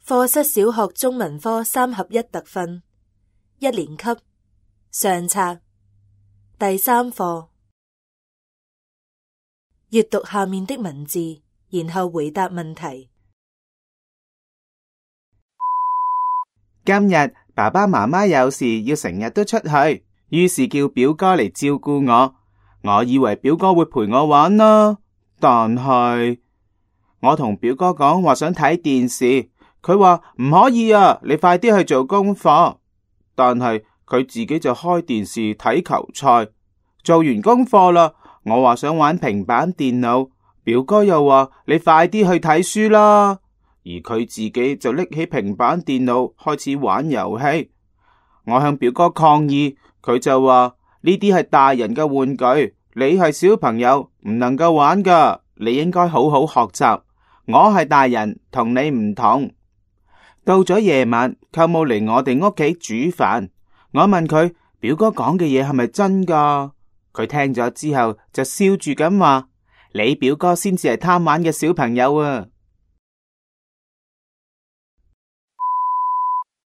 課室小學中文科3合1特訓，1年級上冊第3課。閱讀下面的文字，然後回答問題。今日爸爸媽媽有事要成日都出去，於是叫表哥嚟照顧我。我以為表哥會陪我玩啦，但係我同表哥講話想睇電視，佢話唔可以啊，你快啲去做功課。但係佢自己就開電視睇球賽。做完功課啦，我話想玩平板電腦，表哥又話你快啲去睇書啦。而佢自己就拎起平板電腦開始玩遊戲。我向表哥抗議，佢就話呢啲係大人嘅玩具，你係小朋友唔能夠玩㗎，你應該好好學習。我係大人，同你唔同。到咗夜晚，舅母嚟我哋屋企煮飯。我問佢，表哥講嘅嘢係咪真㗎？佢聽咗之後就笑住咁話，你表哥先至係貪玩嘅小朋友啊。